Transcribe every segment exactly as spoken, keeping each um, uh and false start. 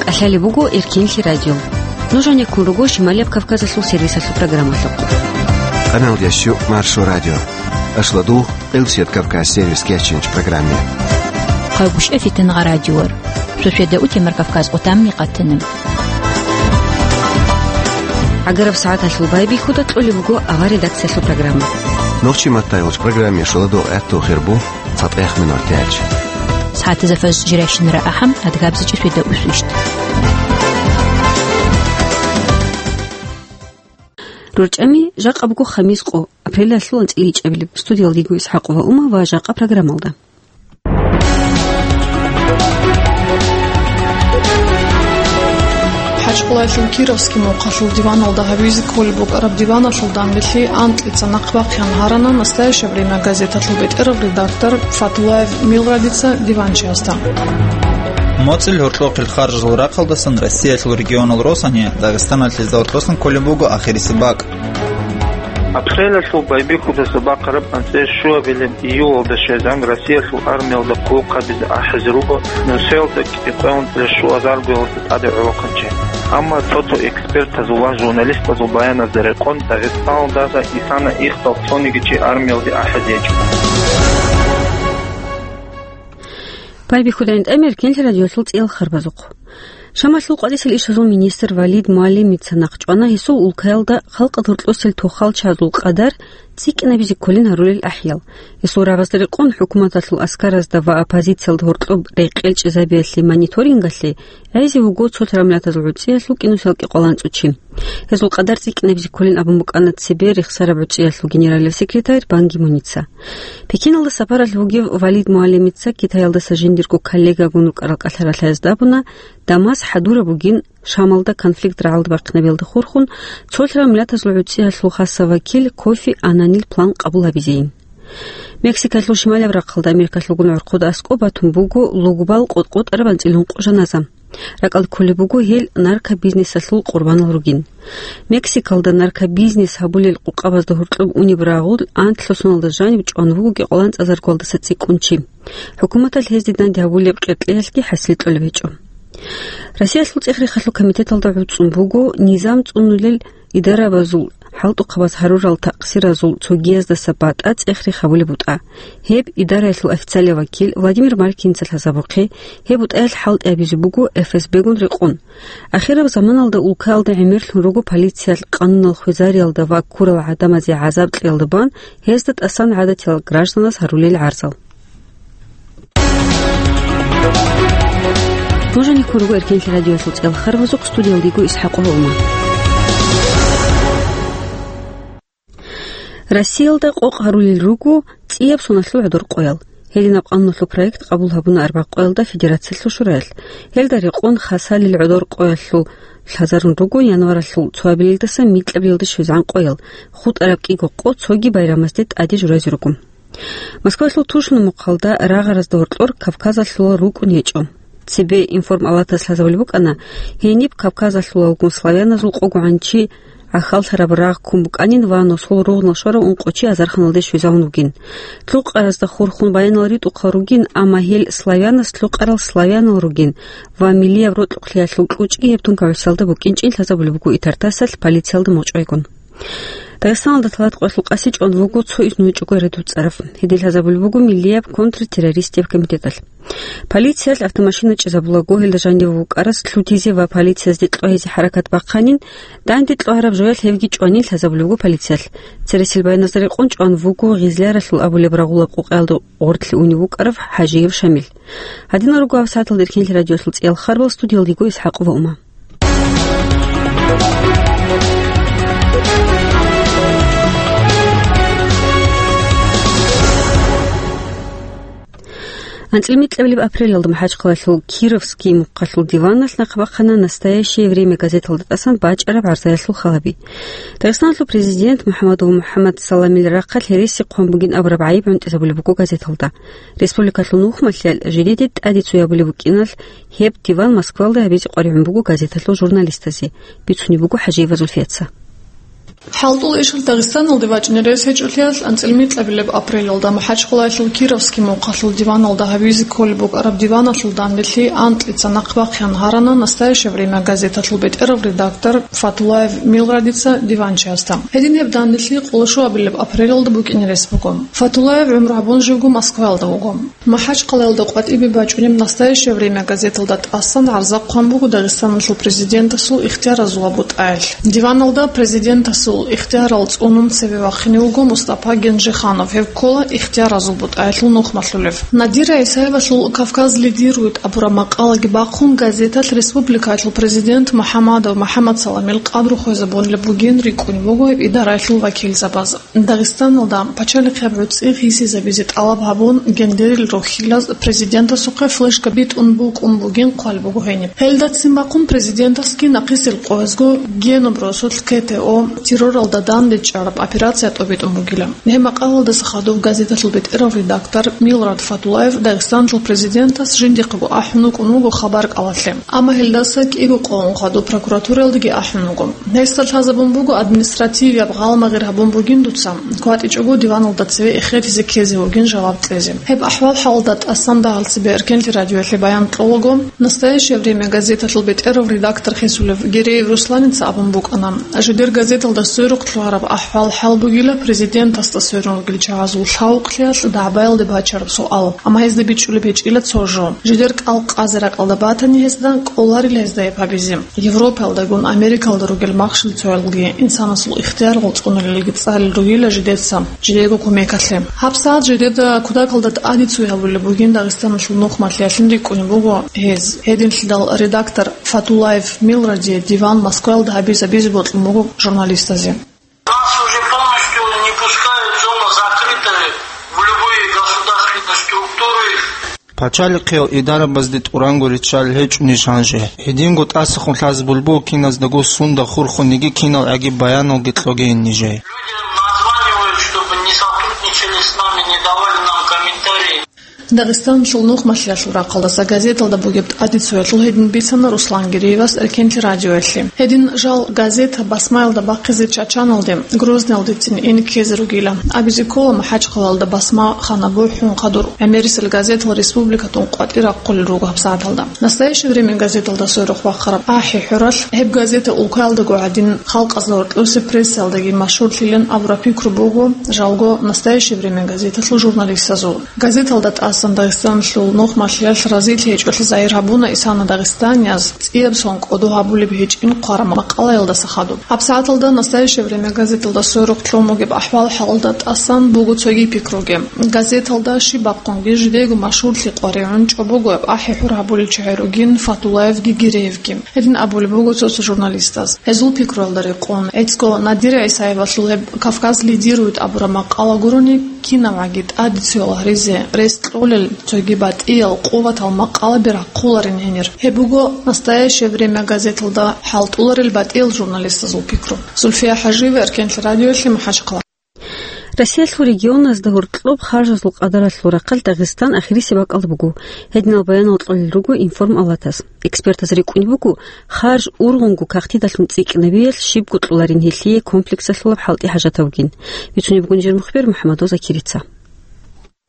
ТӀалъалеб буго Эркенлъи радио. Нуж гьанеккун руго Шималияб Кавказалъул сервисалъул программалъухъ. Къаналдящу Маршо радио. Ашладугъ, Къилсият Кавказ сервис кечинч программе. Хъагушев Фитингъа радиор. Суседа утемар Кавказ отамни къатанаб. ГӀагараб сагӀаталъул байбихьуда кьолеб буго авар редакциялъул программа. Нохчи маттайгъуч программе шоладо гӀатту хирбу. ЦатӀехъ минуталъ. СагӀатазда фажр жирайщинара ахӀам, адгабзичӀи светда усвищт. РорчӀами, жакъа буго хамис къо, апрелалъул анцӀила ичӀабилеб. Студиялда йиго ИсхӀакъова Ума ва жакъа программалда. ХӀачкъулаялъул Кировский мухъалъул диваналда гьабизе кколеб букӀараб диваналъул данделъи анкьица нахъ бахъин гьарана «Настоящее время» газеталъул бетӀерав редактор Фатулаев Милрадица диванчиясда. МоцӀил гьоркьохъел харжул рахъалдасан Россиялъул регионал росани Дагъистаналъ гьезда гьоркьосан кколеб буго ахирисеб бакӀ. Апрелалъул байбихьудаса бахъараб анцӀила щуабилеб июлалда щвезегӀан Россиялъул армиялда хъулухъ гьабизе ахӀизе руго Нусаялда кӀикъоялда щуазаргоялда тӀаде гӀолохъанчи. Амма цо-цо экспертазул ва журналистазул баяназда рекъон, Дагъистаналдаса исана ихдал цониги чи армиялде ахӀизе гьечӀо. Байбихьудайин тӀамер Эркенлъи радиолъул цӀиял харбазухъ. Шамалъул къватӀисел ишазул министр Валид МугӀалимица нахъчӀвана гьесул улкаялда халкъалъ гьоркьосел тухал чагӀазул къадар цӀикӀкӀинабизе кколин гьарулел ахӀиял. Гьесул рагъазда рекъон хӀукуматалъул аскаразда ва оппозициялда гьоркьоб рекъел чӀезабиялъе мониторингалъе гӀезе вуго цолъ рамлатазул гӀуцӀиялъул кӀинусиялги къваланцӀучи. Гьезул къадар цӀикӀкӀинабизе кколин абун букӀана цебе рехсараб гӀуцӀиялъул генералив секретарь Бан Ги Муница. Пекиналда сапаралъ вугев Валид МугӀалимица Китаялдаса жиндирго коллегагун рукӀарал кӀалъаралъаязда абуна, Дамас хӀадураб бугин Шамалда конфликт рагӀалда бахъинабиялда хурхун, цолъ рамлатазул гӀуцӀиялъул хасав вакил Кофи Аннанил план къабул гьабизейин. Мексикалъул шималияб рахъалда Америкалъулгун гӀорхъуда аскӀоб батун буго лугбал къотӀ-къотӀараб анцӀила гьункъо жаназа. РакӀалде кколеб буго гьел наркобизнесалъул къурбанал ругин. Мексикалда наркобизнес гьабулел къукъабазда гьоркьоб унеб рагъул анлъго соналда жаниб чӀван вуго кӀикъоялда анцӀазаргоялдаса цӀикӀкӀун чи. ХӀукуматалъ гьезде данде гьабулеб къеркьеялъги хӀасил кьолеб гьечӀо. Россиялъул цӀех-рехалъул комитеталда гӀуцӀун буго низам цӀунулел идарабазул хӀалтӀухъабаз гьарурал такъсиразул цогияздаса батӀа цӀех-рех гьабулеб бутӀа. Гьеб идараялъул официалияв вакил Владимир Маркиница лъазабухъе, гьеб бутӀаялъ хӀалтӀи гьабизе буго ФСБ-гун рекъон. Ахираб заманалда улкаялда гӀемерлъун руго полициялъ къануналъ хвезариялда ва ккурал гӀадамазе гӀазаб кьеялда бан гьезда тӀасан гӀадатиял гражданас гьарулел гӀарзал. Нуж гьанеккун руго Эркенлъи радиоялъул цӀиял харбазухъ, студиялда йиго ИсхӀакъова Ума. Россиялда къокъ гьарулел руго цӀияб соналъул гӀодор къоял. Гьединаб къануналъул проект къабул гьабуна арбагъ къоялда Федерациялъул Шураялъ. Гьелда рекъон хасалил гӀодор къоялъул лъазарун руго январалъул цоабилелдаса микьабилелда щвезегӀан къоял, хутӀараб кӀиго къо цоги байрамазде тӀаде журазе руго. Москвалъул Тушино мухъалда рагъаразда гьоркьор Кавказалъулал рукӀун гьечӀо. Цебе информалатас лъазабулеб букӀана, гьениб Кавказалъулалгун славяназул къогогӀан чи гӀахьаллъараб рагъ ккун букӀанин ва нусул ругънал щварав ункъо чи азарханалде щвезавун вугин. Лъукъаразда хурхун баянал ритӀухъал ругин, амма гьел славянас лъукъарал славянал ругин ва миллияб рокьукълъиялъул кьучӀги гьеб тункагӀусиялда букӀинчӀин лъазабулеб буго итартасалъ полициялда мукъчӀвайгун. Дагъистаналда талат къоялъул къаси чӀван вуго цо изну гьечӀого ред вуцӀарав. Гьедин лъазабулеб буго миллияб контртеррористияб комитеталъ. Полициялъ автомашина чӀезабулаго, гьелда жанив вукӀарас лъутизе ва полициязде кьвагьизе хӀаракат бахъанин, данде кьвагьараб жоялъ гьевги чӀванин лъазабулеб буго полициялъ. Цересел баяназда рекъон чӀван вуго Гъизляралъул абулеб рагъулаб къокъаялда гъорлъе унев вукӀарав ХӀажиев Шамил. Гьадинал руго гьаб сагӀаталда Эркенлъи радиоялъул цӀиял харбал, студиялда йиго ИсхӀакъова Ума. АнцӀила микьабилеб апрелалда МахӀачхъалалъул Кировский мухъалъул диваналъ нахъ бахъана «Настоящее время» газеталда тӀасан бачӀараб гӀарзаялъул халаби. Дагъистаналъул президент МухӀаммадов МухӀаммад Саламил рахъалъ гьереси хъван бугин абураб гӀайиб гӀунтӀизабулеб буго газеталда. Республикалъул нухмалъиялъ жидеде тӀаде цоябулеб букӀиналъ, гьеб диван Москвалда гьабизе къваригӀун буго газеталъул журналистазе, бицунеб буго ХӀажиева Зульфияца. ХӀалтӀул ишал Дагъистаналде вачӀине рес гьечӀолъиялъ, анцӀила микьабилеб апрелалда МахӀачхъалаялъул Кировский мухъалъул диваналда гьабизе кколеб букӀараб диваналъул данделъи анкьица нахъ бахъин гьарана «Настоящее время» газеталъул бетӀерав редактор Фатулаев Милрадица диванчиясда. Гьедин гьеб данделъи къоло щуабилеб апрелалда букӀине рес буго. Фатулаев гӀумру гьабун живго Москваялда вуго. МахӀачхъалаялда къватӀибе бачӀунеб «Настоящее время» газеталда тӀасан гӀарза хъван буго Дагъистаналъул президентасул ихтияразул ва бутӀаялъ. Диваналда президентасул ихтиярал цӀунун цеве вахине вуго Мустапа Генжиханов, гьев ккола ихтияразул бутӀаялъул нухмалъулев. Надира ГӀисаевалъул «Кавказ лидирует» абураб макъалаги бахъун, газеталъ республикаялъул президент МухӀаммадов МухӀаммадсаламил къадру хвезабунилеб бугин рикӀкӀунеб буго гьеб идараялъул вакилзабаз. Дагъистаналда пачалихъияб гӀуцӀи гъисизабизе тӀалаб гьабун, гендерил рохьилаз президентасухъе флешка битӀун букӀун бугин хъван буго гьениб. Гьелдацин бахъун президентасги нахъисел къоязго гьениб росулъ КТО, терроралда дандечӀараб операция тӀобитӀун бугила. Гьеб макъалаялдаса хадуб газеталъул бетӀерав редактор Милрад Фатулаев Дагъистаналъул президентас жиндихъего ахӀун вукӀун вуго хабар кӀалалъе. Амма гьелдаса кӀиго къо ун хадуб прокуратураялдаги ахӀун вуго. Гьесда лъазабун буго административияб гъалмагъир гьабун бугин дуца, кватӀичӀого диваналда цеве эхетизе ккезе вугин жаваб кьезе. Гьеб ахӀвал-хӀалалда тӀасан дагьал цебе Эркенлъи радиоялъе баян кьолаго, «Настоящее время» газеталъул бетӀерав редактор хисулев Гиреев Русланица абун букӀана, жидер газеталда сверухъ лъугьараб ахӀвал-хӀал бугила президентасда сверун ругел чагӀазул лъавукълъиялъ дагӀбаялде бачараб суал, амма гьезда бичӀчӀулеб гьечӀила цо жо. Жидер кӀал къазе ракӀалда батани, гьезда кӀоларила гьезда гьеб гьабизе. Европаялдагун Америкалда ругел махщел цоялги инсанасул ихтияр гъолцӀуналилги цӀалел ругила жидеца, жидерго кумекалъе. ГьабсагӀат жидеда кутакалда тӀаде цой гьабулеб бугин Дагъистаналъул нухмалъиялъин рикӀкӀунеб буго гьез. Гьединлъидал редактор Фатулаев Милрадие диван Москваялда гьабизабизе бокьун буго журналистазе. Нас уже полностью не пускают, зона закрытая, в любые государственные структуры. Пачалихъиял идарабазде тӀуранго риччалел гьечӀони жанже. Гьединго тӀасахун лъазабулеб буго киназдаго сунда хурхунеги кинал гӀагиб баяналги кьогейин нижее. Люди названивают, чтобы не сотрудничали с нами, не давали нам комментарии. Дагъистаналъул нухмалъиялъул рахъалдаса газеталда бугеб тӀаде цоялъул гьедин бицана Руслан Гиреевас Эркенлъи радиоялъе. Гьедин жал газета басмаялда бахъизе Чачаналде, Грозныйалдецин ин ккезе ругила. Абизе ккола, МахӀачхъалаялда басма хана бухӀун хадур гӀемерисел газетал республикатун къватӀир рахъулел руго гьабсагӀаталда. «Настоящее время» газеталда сверухъ бахъараб ахӀи-хӀуралъ гьеб газета улкаялдаго гӀадин халкъазда гьоркьосе прессаялдаги машгьурлъилин абураб пикру буго жалго «Настоящее время» газеталъул журналистазул. Газеталда тӀасан Дагъистаналъул нухмалъиялъ разилъи гьечӀолъи загьир гьабуна исана дагъистанияз цӀияб сон кӀодо гьабулеб гьечӀин хъвараб макъалаялдаса хадуб. ГьабсагӀаталда «Настоящее время» газеталда сверухъ лъун бугеб ахӀвал-хӀалалда тӀасан буго цоги пикруги. Газеталда щиб бахъунги жидего машгьурлъи къваригӀун чӀобогояб ахӀи-хӀур гьабулел чагӀи ругин Фатулаевги Гиреевги. Гьедин абулеб буго цо-цо журналистаз. Гьезул пикруялда рекъон, гӀицӀго Надира ГӀисаевалъул гьеб «Кавказ лидирует» абураб макъала гурони, кинабгӀаги тӀаде цоял гьаризе рес кьолел цоги батӀиял къуватал макъалаби рахъуларин гьенир. Гьеб буго «Настоящее время» газеталда хӀалтӀуларел батӀиял журналистазул пикру. Зульфия ХӀажиева, Эркенлъи радиоялъе, МахӀачхъала. Россиялъул регионазда гьоркьоб харжазул къадаралъул рахъалъ Дагъистан ахирисеб бакӀалда буго. Гьединал баянал кьолел руго Информ Алатас. Экспертаз рикӀкӀунеб буго, харж ургъунго кагътидалъун цӀикӀкӀинабиялъ щибго кьоларин гьелъие комплексалъулаб хӀалтӀи хӀажатаб бугин. Бицунеб буго нижер мухбер МухӀамадов Закирица.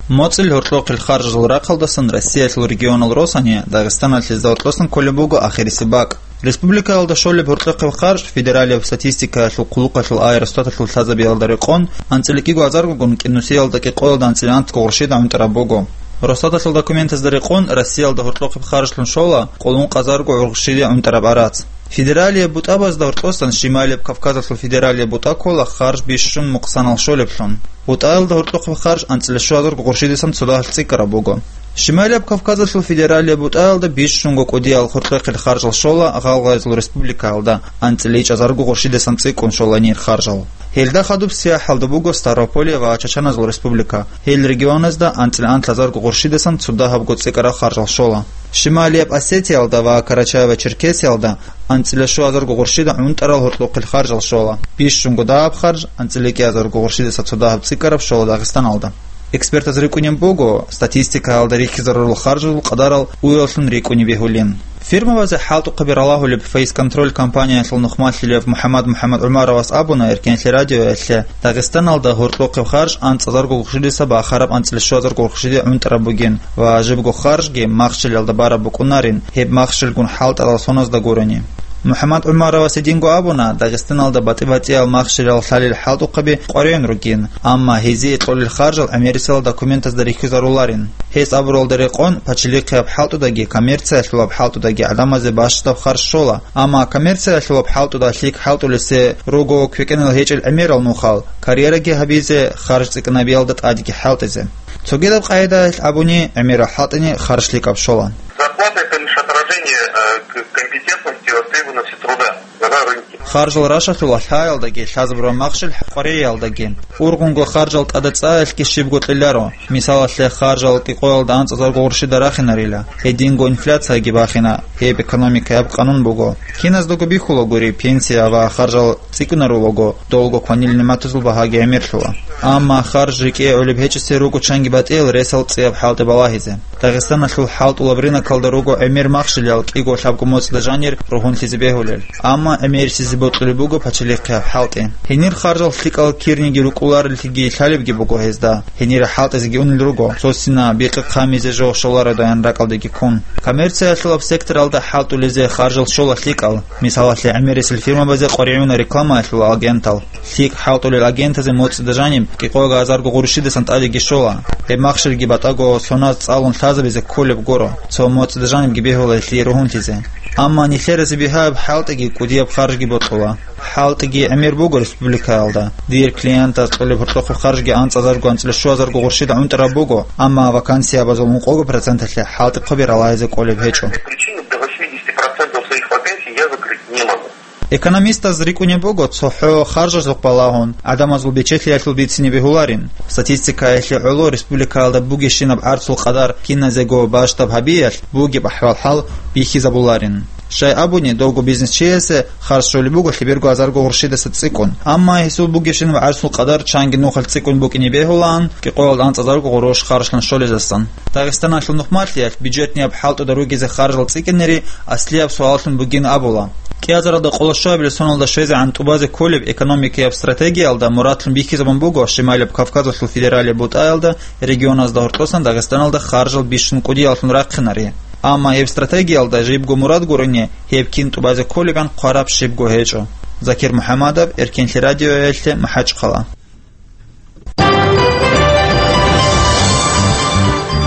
МоцӀил гьоркьохъел харжазул рахъалдасан Россиялъул регионал росани Дагъистаналъ гьезда гьоркьосан кколеб буго ахирисеб бакӀ. Республикаялда щолеб гьоркьохъеб харж федералияб статистикаялъул хъулухъалъул ай Росстаталъул лъазабиялда рекъон анцӀила кӀиго азаргогун кӀинусиялда кӀикъоялда анцӀила антго гъурщида гӀунтӀараб буго. Росстаталъул документазда рекъон Россиялда гьоркьохъеб харжлъун щола къоло ункъ азарго гъурщида гӀунтӀараб арац. Федералияб бутӀабазда гьоркьосан Шималияб Кавказалъул федералияб бутӀа ккола харж бищун мукъсанал щолеблъун. БутӀаялда гьоркьохъеб харж анцӀила щуазарго гъурщидасан цо дагьалъ цӀикӀкӀараб буго. Шималияб Кавказалъул федералияб бутӀаялда бищунго кӀудиял гьоркьохъел харжал щола гъалгъайзул республикаялда, анцӀила ичӀазарго гъурщидасан цӀикӀкӀун щола гьенир харжал. Гьелда хадуб сияхӀалда буго Ставрополье ва Чачаназул республика. Гьел регионазда анцӀила анлъазарго гъурщидасан цо дагьабго цӀикӀкӀараб харжал щола. Шималияб Осетиялда ва Карачаево-Черкесиялда анцӀила щуазарго гъурщида гӀунтӀарал гьоркьохъел харжал щола. Бищунго дагьаб харж, анцӀила кӀиазарго гъурщидаса цо дагьаб цӀикӀкӀараб, щола Дагъистаналда. Экспертаз рикӀкӀунеб буго, статистикаялда рихьизарурал харжазул къадарал уяллъун рикӀкӀунеб бегьулин. Фирмабазе хӀалтӀухъаби ралагьулеб «Фейсконтроль» компаниялъул нухмалъулев МухӀаммад МухӀаммад ГӀумаровас абуна Эркенлъи радиоялъе, Дагъистаналда гьоркьохъеб харж анцӀазарго гуршидаса бахараб анцӀила щуазарго гуршиде гӀунтӀараб бугин ва жибго харжги махщелалда бараб букӀунарин, гьеб махщелгун хӀалтӀарал соназда гурони. МухӀаммад ГӀумаровас гьединго абуна, Дагъистаналда батӀи-батӀиял махщелал лъалел хӀалтӀухъаби къваригӀун ругин, амма гьезие кьолел харжал гӀемерисел документазда рихьизаруларин. Гьес абуралда рекъон, пачалихъияб хӀалтӀудаги коммерциялъулаб хӀалтӀудаги гӀадамазе бащдаб харж щола, амма коммерциялъулаб хӀалтӀуда лъикӀ хӀалтӀулесе руго квекӀинал гьечӀел гӀемерал нухал, карьераги гьабизе, харж цӀикӀкӀинабиялда тӀадеги хӀалтӀизе. Цогидаб къагӀидаялъ абуни, гӀемерал хӀалтӀине харж лъикӀаб щола. Зарплата — это лишь отражение, э, к-, компетентности и востребованности труда на рынке. Харжал рашалъула лъаялдаги, лъазабураб махщел къваригӀиялдаги. Ургъунго харжал тӀада цӀаялъги щибго кьеларо. Мисалалъе, харжал кӀикъоялда анцӀазарго гуршида рахинарила, гьединго инфляцияги бахина, гьеб экономикаяб къанун буго. Киназдаго бихьулагури, пенсия ва харжал цӀикӀкӀунарулаго, долго кванил нигӀматазул багьаги гӀемерлъула. Амма харж рикӀкӀе гӀолеб гьечӀесе руго чанги батӀиял ресал цӀияб хӀалтӀи балагьизе. Дагъистаналъул хӀалтӀулаб рынокалда руго гӀемер махщелал кӀиго-лъабго моцӀида жанир ругьунлъизе бегьулел. Амма гӀемерисезе бокьулеб буго пачалихъияб хӀалтӀи. Гьенир харжал лъикӀал кирниги рукӀулареллъиги лъалебги буго гьезда. Гьенире хӀалтӀизеги унел руго, цо сина бикъи хъамизе жо щоларедаян ракӀалдеги ккун. Коммерциялъулаб секторалда хӀалтӀулезе харжал щола лъикӀал, мисалалъе, гӀемерисел фирмабазе къваригӀуна рекламаялъул агентал. ЛъикӀ хӀалтӀулел агентазе моцӀида жаниб кӀикъоязарго гуршидасан тӀадеги щола. Гьеб махщелги батӀаго соназ цӀалун лъазабизе кколеб гуро, цо моцӀида жанибги бегьула гьелъие ругьунлъизе. Амма нилъеразе бигьаяб хӀалтӀиги кӀудияб харжги бокьула. ХӀалтӀиги гӀемер буго республикаялда. Дир клиентаз кьолеб гьоркьохъеб харжги анцӀазарго анцӀила щуазарго гуршида гӀунтӀараб буго, амма вакансиябазул ункъого проценталъе хӀалтӀухъаби ралагьизе кколеб гьечӀо. Причину до восьмидесяти процентов своих вакансий я закрыть не могу. Экономистаз рикӀкӀунеб буго цохӀо харжазухъ балагьун гӀадамазул бечелъиялъул бицине бегьуларин. Статистикаялъе гӀоло республикаялда бугебщинаб гӀарцул къадар киназего бащдаб гьабиялъ бугеб ахӀвал-хӀал бихьизабуларин. Щай абуни, довго бизнесчиясе харж щолеб буго лъеберго азарго гуршидаса цӀикӀкӀун. Амма гьесул бугебщинаб гӀарцул къадар чанги нухалъ цӀикӀкӀун букӀине бегьулаан, кӀикъоялда анцӀазарго гъурущ харжлъун щолезасан. Дагъистаналъул нухмалъиялъ бюджетнияб хӀалтӀуда ругезе харжал цӀикӀкӀинери аслияб суаллъун бугин абула. КӀиазаралда къоло щуабилеб соналда щвезегӀан тӀубазе кколеб экономикаяб стратегиялда мурадлъун бихьизабун буго Шималияб Кавказалъул федералияб бутӀаялда регионазда гьоркьосан Дагъистаналда харжал бищун кӀудияллъун рахъинари. Амма гьеб стратегиялда жибго мурад гурони, гьеб кин тӀубазе кколебан хъвараб щибго гьечӀо. Закир МухӀаммадов, Эркенлъи радиоялъе, МахӀачхъала.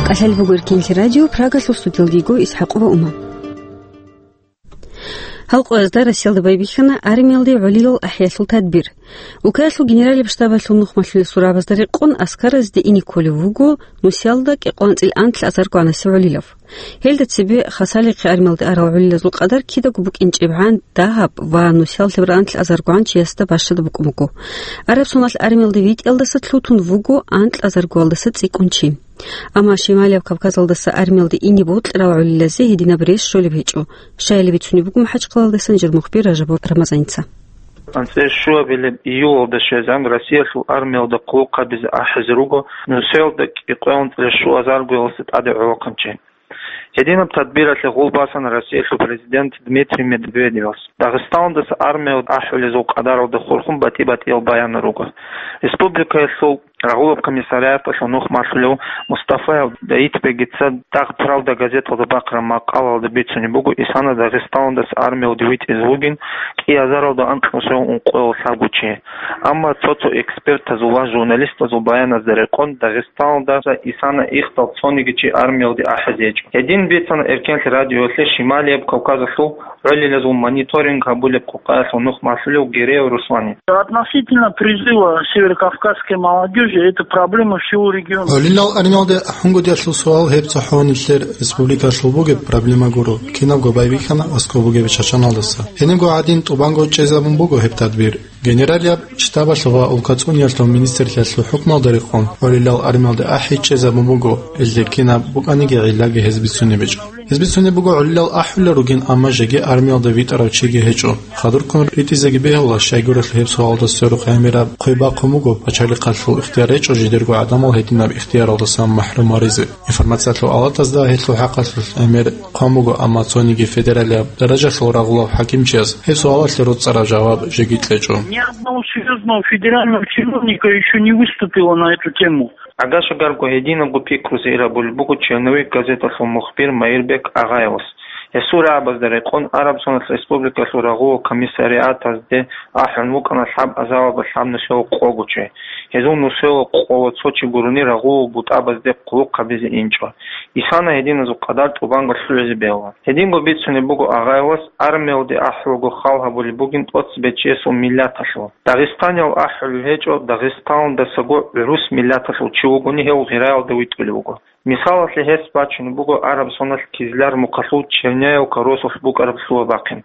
КӀалъалеб буго Эркенлъи радио, Прагалъул студиялдего ИсхӀакъова Ума. Гьал къоязда Россиялда байбихьана армиялде гӀолилал ахӀиялъул тадбир. Украиналъул генералияб штабалъул нухмалъулел сурабазда рекъон аскаразде ине кколев вуго нусиялда кӀикъоялда анцӀила анлъазарго гӀанасев гӀолилав. Гьелда цебе Хасалихъе армиялде арал гӀолилазул къадар кидаго букӀинчӀебгӀан дагьаб ва нусиялъе рагӀанлъазарго гӀанчиясда бащада букӀун буго. Араб соналъ армиялде витӀиялдаса лъутун вуго анлъазаргоялдаса цӀикӀкӀун чи. Амма Шималияб Кавказалдаса армиялде ине бокьарал гӀолилазе гьединаб рес щолеб гьечӀо, щайилан бицунеб буго МахӀачхъалалдасан жир мухбир Ражабов Рамазаница. АнцӀила щуабилеб июлалда щвезегӀан Россиялъул армиялда хъулухъ гьабизе ахӀизе руго нусиялда кӀикъоялда анцӀила щуазаргоялдаса тӀаде гӀолохъанчи. Гьединаб тадбиралъе гъул басан Россиялъул президент Дмитрий Медведевас. Дагъистаналдаса армиялде ахӀулезул къадаралда хурхун батӀи-батӀиял баянал руго. Республикаялъул рагъулаб комиссариаталъул нухмалъулев Мустафаев Даитбегица «Дагъ-Правда» газеталда бахъараб макъалаялда бицунеб буго, исана Дагъистаналдаса армиялде витӀизе вугин кӀиазаралда анкьнусев ункъоялда лъабго чи. Амма цо-цо экспертазул ва журналистазул баяназда рекъон, Дагъистаналдаса исана ихдал цониги чи армиялде ахӀизе гьечӀо. Гьедин бицана Эркенлъи радиоялъе Шималияб Кавказалъул гӀолилазул мониторинг гьабулеб къукъаялъул нухмалъулев Гереев Руслани. Относительно призыва северокавказской молодёжи, это проблема всего региона. ГӀолилал армиялде ахӀунгутӀиялъул суал гьеб цохӀо нилъер республикалъул бугеб проблема гуро, кинабго байбихьана аскӀоб бугеб Чачаналдаса. Гьенибго гӀадин тӀубанго чӀезабун буго гьеб тадбир. Генералияб штабалъул ва улкацӀуниялъул министрлъиялъул хӀукмалда рекъон гӀолилал армиялде ахӀи чӀезабун буго, гьелде кинаб букӀаниги гӀиллаги гьез бицунеб гьечӀо. Гьез бицунеб буго гӀолилал ахӀулел ругин, амма жеги армиялда витӀарав чиги гьечӀо. Хадурккун ритӀизеги бегьула, щайгурелъул гьеб суалда сверухъ гӀемераб хъвей бахъун буго, пачалихъалъул ихтияр гьечӀо жидерго гӀадамал гьединаб ихтияралдасан махӀрум гьаризе. Информациялъул авалатазда гьелъул хӀакъалъулъ гӀемер хъван буго, амма цониги федералияб даражалъул рагъулав хӀакимчияс гьеб суалалъе роцӀцӀараб жаваб жеги кьечӀо. Ни одного серьёзного федерального чиновника ещё не выступило на эту тему. Агашагарго гьединабго пикрузе ирабулеб буго «Черновик» газеталъул мухбир Маирбек Агъаевас. Гьесул рагӀабазда рекъон, Араб Соналъ Республикалъул рагъулал комиссариатазде ахӀун вукӀана лъабазабаба лъаб нусиялъул къого чи. Гьезул нусиялъул къого цо чи гурони рагъулал бутӀабазде хъулухъ гьабизе инчӀо. Исана гьединазул къадар тӀубанго лъугӀизе бегьула. Гьединго бицунеб буго Агъаевас, армиялде ахӀулаго хал гьабулеб бугин тӀоцебе чиясул миллаталъул. Дагъистаниял ахӀулел гьечӀо, Дагъистаналдасаго гӀурус миллаталъул чи вугони гьев гъираялда витӀулев вуго. Мисалалъе гьес бачунеб буго Араб Соналъ Кизляр мухъалъул Черняевка росулъ букӀараб лъугьа-бахъин.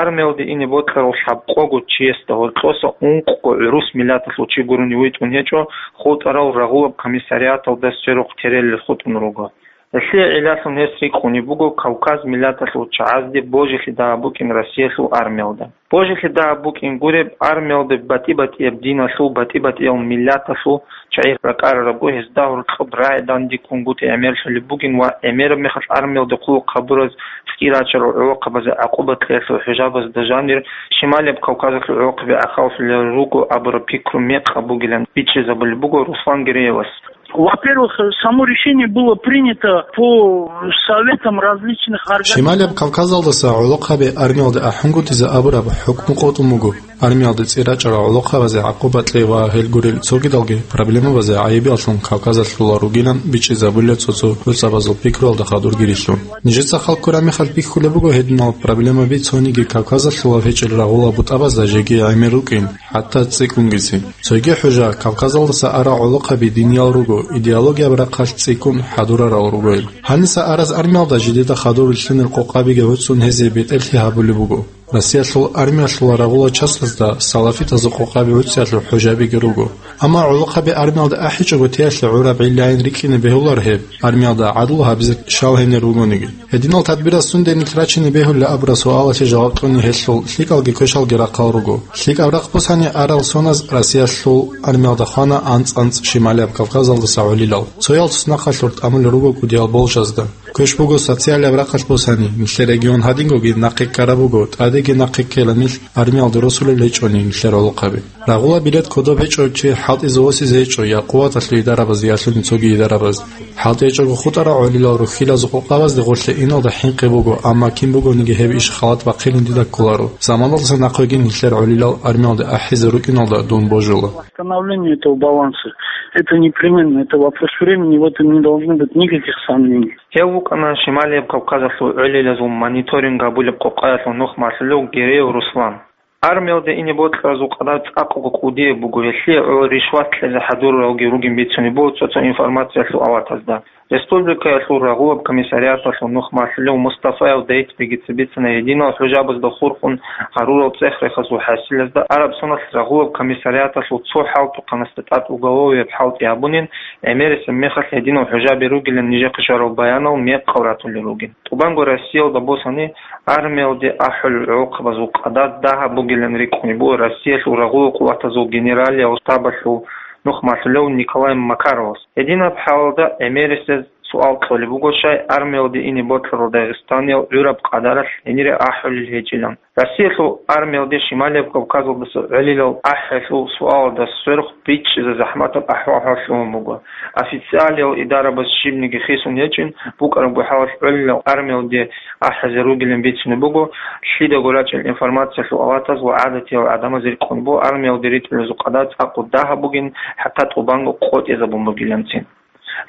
Армиялде ине бокьарал лъабкъого чиясда гьоркьоса ункъго гӀурус миллаталъул чи гурони витӀун гьечӀо, хутӀарал рагъулаб комиссариаталда сверухъ терелел хутӀун руго. Гьелъие гӀиллалъун гьес рикӀкӀунеб буго Кавказ миллаталъул чагӀазде божилъи дагьаб букӀин Россиялъул армиялда. Божилъи дагьаб букӀин гуреб, армиялда батӀи-батӀияб диналъул, батӀи-батӀиял миллаталъул чагӀи ракӀарарабго, гьезда гьоркьоб рагӀи дандеккунгутӀи гӀемерлъулеб бугин ва гӀемераб мехалъ армиялда хъулухъ гьабураз цӀикӀкӀи рачарал гӀолохъабазе гӀакъуба кьеялъул хӀужабазда жанир Шималияб Кавказалъул гӀолохъаби гӀахьаллъулел руго абураб пикру мекъаб бугилан бичӀчӀизабулеб буго Руслан Гереевас. Во-первых, само решение было принято по советам различных организаций. Шималияб Кавказалдаса гӀолохъаби армиялде ахӀунгутӀизе абураб хӀукму къотӀун буго. Армиялде цӀи рачӀарал гӀолохъабазе гӀакъуба кьей ва гьел гурел цогидалги проблемабазе гӀайибияллъун Кавказалъула ругилан бичӀчӀизабулел цо-цо гӀуцӀабазул пикруялда хадурги рилълъун. Нижеца хал ккураб мехалъ бихьулеб буго гьединал проблемаби цониги Кавказалъула гьечӀел рагъула бутӀабазда жеги гӀемер рукӀин, хӀатта цӀикӀкӀунгицин. Цоги хӀужа, Кавказалдаса арал гӀолохъаби диниял руго, идеологияб рахъалъ цӀикӀкӀун хӀадурарал ругоил. Гьаниса араз армиялда жидеда хадур рилълъунел къокъабиги гӀуцӀун гьезие бетӀерлъи гьабулеб буго. Россиялъул армиялъула рагъула частазда салафитазул къокъаби гӀуцӀиялъул хӀужабиги руго. Амма гӀолохъаби армиялда ахӀичӀого теялъе гӀураб гӀиллайин рикӀкӀине бегьулар гьеб, армиялда гӀадлу гьабизе щал гьенир вугониги. Гьединал тадбираз сунденилъ рачине бегьулеб абураб суалалъе жаваб кьуни гьелъул лъикӀалги квешалги рахъал руго. ЛъикӀаб рахъ босани, арал соназ Россиялъул армиялда хвана анцӀ-анцӀ Шималияб Кавказалдаса гӀолилал. Цоял туснахъалъур тӀамулел руго кӀудиял болжазда. Квеш буго социалияб рахъалъ босани, нилъер регион гьадингоги нахъе ккараб буго, тӀадеги нахъе ккела нилъ, армиялде росулел гьечӀони нилъер гӀолохъаби. Рагъула билет кодоб гьечӀо чи хӀалтӀизе восизе гьечӀо я къуваталъул идарабаз, я лъуни цоги идарабаз. ХӀалтӀи гьечӀого хутӀарал гӀолилал рухьилазул къокъабазде гъорлъе иналда хӀинкъи буго, амма кин бугониги гьеб иш халат бахъилин дида кколаро. Заманалдаса нахъеги нилъер гӀолилал армиялде ахӀизе рукӀиналда дун божула. Восстановление этого баланса, это непременно, это вопрос времени, в этом не должно быть никаких сомнений. Гьев вукӀана Шималияб Кавказалъул гӀолилазул мониторинг гьабулеб къокъаялъул нух малъулев Гереев Руслан. Армиялде ине бокьаразул къадар цӀакъго кӀудияб буго, гьелъие гӀоло ришват кьезе хӀадуралги ругин бицунеб буго цо-цо информациялъул аватазда. Республикаялъул рагъулаб комиссариаталъул нух малъулев Мустафаев Даитбеги цебицина гьединал хӀужабазда хурхун гьарурал цӀех-рехазул хӀасилазда Араб Соналъ рагъулаб комиссариаталъул цо хӀалтӀухъанасда тӀад уголовияб хӀалтӀи гьабунин, гӀемерисеб мехалъ гьединал хӀужаби ругилан нижехъе щварал баянал мекъал ратулел ругин. ТӀубанго Россиялда босани, армиялде ахӀулел гӀолохъабазул къадар дагьаб бугилан рикӀкӀунеб буго Россиялъул рагъулал къуватазул генералиял штабалъул нух малъулев Николай Макаровас. Гьединаб хӀалалда гӀемерисез суал кьолеб буго, щай армиялде ине бокьарал дагъистаниял гӀураб къадаралъ гьенире ахӀулел гьечӀилан. Россиялъул армиялде Шималияб Кавказалдаса гӀолилал ахӀиялъул суалалда сверухъ бичӀчӀизе захӀматаб ахӀвал-хӀал лъугьун буго. Официалиял идарабаз щибниги хисун гьечӀин, букӀарабго хӀалалъ гӀолилал армиялде ахӀизе ругилан бицунеб буго, лъидаго рачӀел информациялъул аватаз ва гӀадатиял гӀадамаз рикӀкӀун буго армиялде ритӀулазул къадар цӀакъго дагьаб бугин, хӀатта тӀубанго къотӀизабун бугиланцин.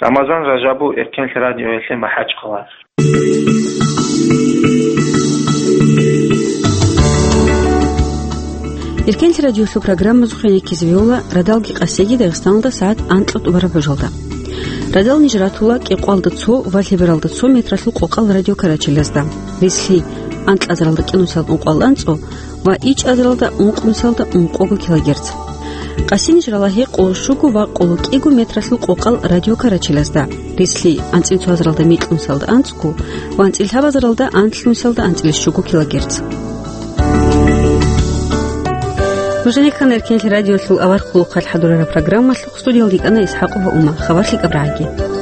Рамазан Ражабов, Эркенлъи радиоялъе, МахӀачхъала. Эркенлъи радиоялъул программазухъе ккезе бегьула радалги къасиги Дагъистаналда сагӀат анкьа тӀубараб божалда. Радал ниж ратула кӀикъоялда цо ва лъебералда цо метралъул къокъал радиокарачелазда. Релълъи анкьазаралда кӀинусиялда ункъоялда анцӀго ва ичӀазаралда ункънусалда ункъого килогерц. Къасинищ ралагьи къоло щуго ва къоло кӀиго метралъул къокъал радио Карачилазда, рицлъи анцӀил цоязаралда микьнусалда анцӀго ва анцӀил лъабазаралда анлънусалда анцӀил щуго килогерц. Нуженикан Эркенлъи радиолъул авар хъулухъалъ хӀадурараб программалъухъ студиялда йикӀана ИсхӀакъова Ума. Хабар лъикӀаб рагӀаги.